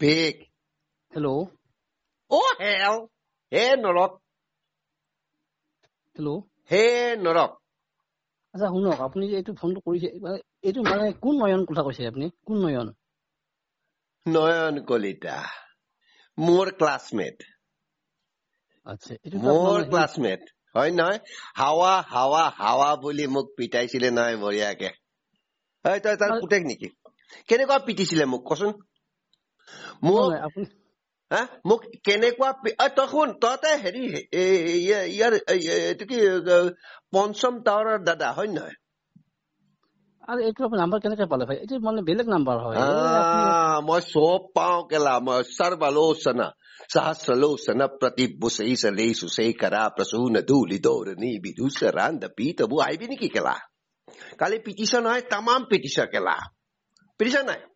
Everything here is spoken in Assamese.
Speak. Hello. Oh hell, হে নৰক। হেল্ল'। হে নৰক। আচ্ছা শুনক, আপুনি যে এইটো ফোনটো কৰিছে, মানে এইটো মানে কোন নয়ন কথা কৈছে আপুনি? কোন নয়ন? নয়ন কলিতা, মোৰ ক্লাছমেট। আচ্ছা, এইটো মোৰ ক্লাছমেট হয় নহয়? হাৱা হাৱা হাৱা বুলি মোক পিটাইছিলে নহয় বঢ়িয়াকে। তই তাৰ পুতেক নেকি? কেনেকুৱা পিটিছিলে মোক কচোন? মোক হা, মোক কেনেকুৱা? তই শুন, তহঁতে হেৰি ইয়াৰ এইটো কি পঞ্চম টাৱাৰৰ দাদা হয় নহয়? আৰু এইটো আপুনি নাম্বাৰ কেনেকে পালে ভাই? এইটো মানে বেলেগ নাম্বাৰ হয়। মই চব পাওঁ কেলা, মই সৰ্বলোচনা সহস্ৰলোচন প্ৰতিভুষেষলেষু শেখৰা প্ৰসূন ধূলি দৌৰণি বিধূসৰান্ধ পীতবু। আহিবি নেকি কেলা? কালি পিটিছ নহয়, তামাম পিটিছ কেলা, পিটিছ নাই?